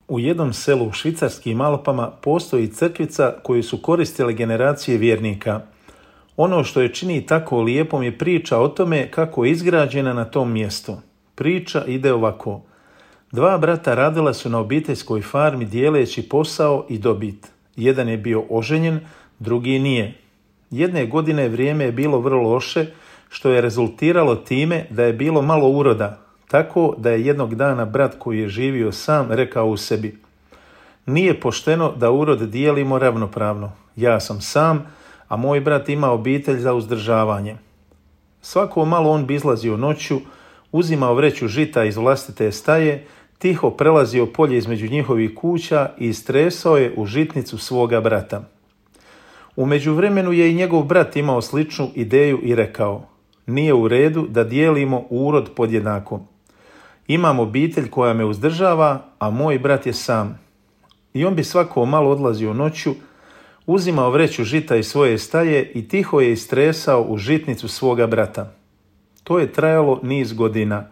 U jednom selu u švicarskim Alpama postoji crkvica koju su koristile generacije vjernika. Ono što je čini tako lijepom je priča o tome kako je izgrađena na tom mjestu. Priča ide ovako. 2 brata radila su na obiteljskoj farmi dijeleći posao i dobit. Jedan je bio oženjen, drugi nije. Jedne godine vrijeme je bilo vrlo loše, što je rezultiralo time da je bilo malo uroda, tako da je jednog dana brat koji je živio sam rekao u sebi: nije pošteno da urod dijelimo ravnopravno. Ja sam sam, a moj brat ima obitelj za uzdržavanje. Svako malo on bi izlazio noću, uzimao vreću žita iz vlastite staje, tiho prelazio polje između njihovih kuća i istresao je u žitnicu svoga brata. U međuvremenu je i njegov brat imao sličnu ideju i rekao: nije u redu da dijelimo urod podjednako. Imam obitelj koja me uzdržava, a moj brat je sam. I on bi svako malo odlazio noću, uzimao vreću žita iz svoje staje i tiho je istresao u žitnicu svoga brata. To je trajalo niz godina.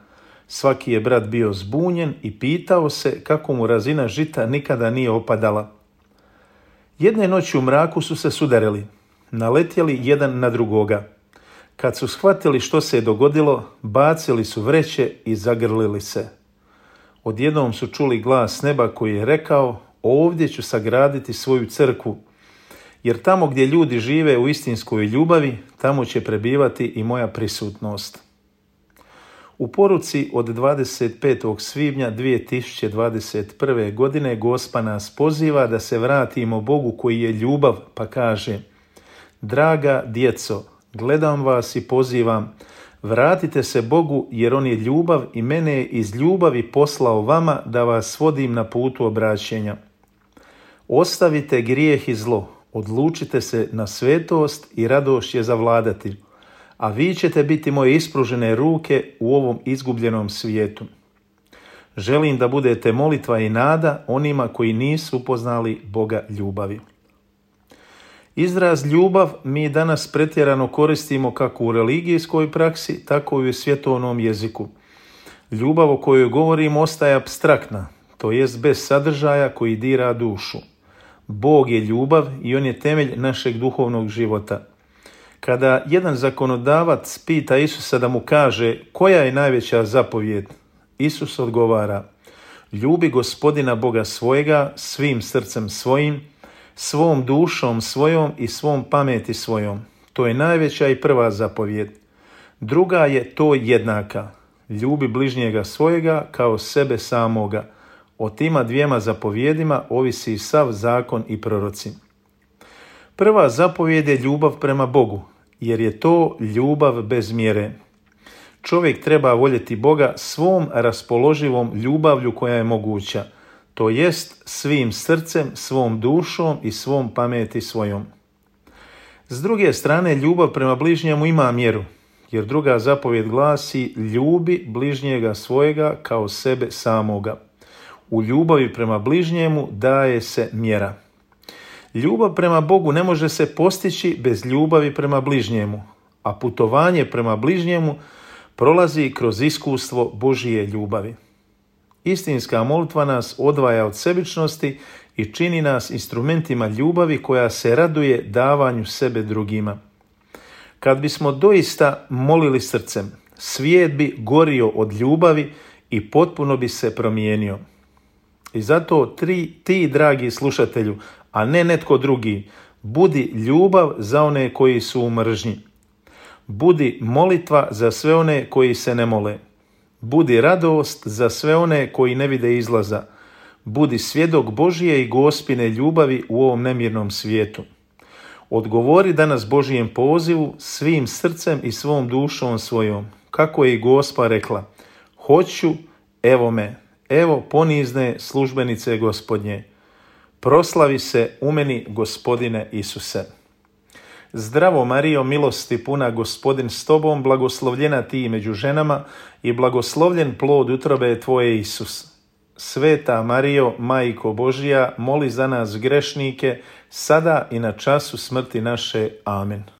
Svaki je brat bio zbunjen i pitao se kako mu razina žita nikada nije opadala. Jedne noći u mraku su se sudarili, naletjeli jedan na drugoga. Kad su shvatili što se je dogodilo, bacili su vreće i zagrlili se. Odjednom su čuli glas s neba koji je rekao: ovdje ću sagraditi svoju crkvu, jer tamo gdje ljudi žive u istinskoj ljubavi, tamo će prebivati i moja prisutnost. U poruci od 25. svibnja 2021. godine Gospa nas poziva da se vratimo Bogu koji je ljubav, pa kaže: draga djeco, gledam vas i pozivam, vratite se Bogu jer On je ljubav i mene je iz ljubavi poslao vama da vas vodim na putu obraćenja. Ostavite grijeh i zlo, odlučite se na svetost i radost će zavladati, a vi ćete biti moje ispružene ruke u ovom izgubljenom svijetu. Želim da budete molitva i nada onima koji nisu upoznali Boga ljubavi. Izraz ljubav mi danas pretjerano koristimo kako u religijskoj praksi, tako i u svjetovnom jeziku. Ljubav o kojoj govorimo ostaje apstraktna, to jest bez sadržaja koji dira dušu. Bog je ljubav i On je temelj našeg duhovnog života. Kada jedan zakonodavac pita Isusa da mu kaže koja je najveća zapovijed, Isus odgovara: ljubi Gospodina Boga svojega svim srcem svojim, svom dušom svojom i svom pameti svojom. To je najveća i prva zapovijed. Druga je to jednaka: ljubi bližnjega svojega kao sebe samoga. O tima 2 zapovjedima ovisi sav zakon i proroci. Prva zapovijed je ljubav prema Bogu, jer je to ljubav bez mjere. Čovjek treba voljeti Boga svom raspoloživom ljubavlju koja je moguća, to jest svim srcem, svom dušom i svom pameti svojom. S druge strane, ljubav prema bližnjemu ima mjeru, jer druga zapovijed glasi: ljubi bližnjega svojega kao sebe samoga. U ljubavi prema bližnjemu daje se mjera. Ljubav prema Bogu ne može se postići bez ljubavi prema bližnjemu, a putovanje prema bližnjemu prolazi kroz iskustvo Božije ljubavi. Istinska molitva nas odvaja od sebičnosti i čini nas instrumentima ljubavi koja se raduje davanju sebe drugima. Kad bismo doista molili srcem, svijet bi gorio od ljubavi i potpuno bi se promijenio. I zato ti, dragi slušatelju, a ne netko drugi, budi ljubav za one koji su u mržnji. Budi molitva za sve one koji se ne mole. Budi radost za sve one koji ne vide izlaza. Budi svjedok Božije i Gospine ljubavi u ovom nemirnom svijetu. Odgovori danas Božijem pozivu svim srcem i svom dušom svojom. Kako je i Gospa rekla: hoću, evo me, evo ponizne službenice Gospodnje. Proslavi se u meni, Gospodine Isuse. Zdravo Marijo, milosti puna, Gospodin s tobom, blagoslovljena ti među ženama i blagoslovljen plod utrobe tvoje, Isus. Sveta Marijo, Majko Božija, moli za nas grešnike, sada i na času smrti naše. Amen.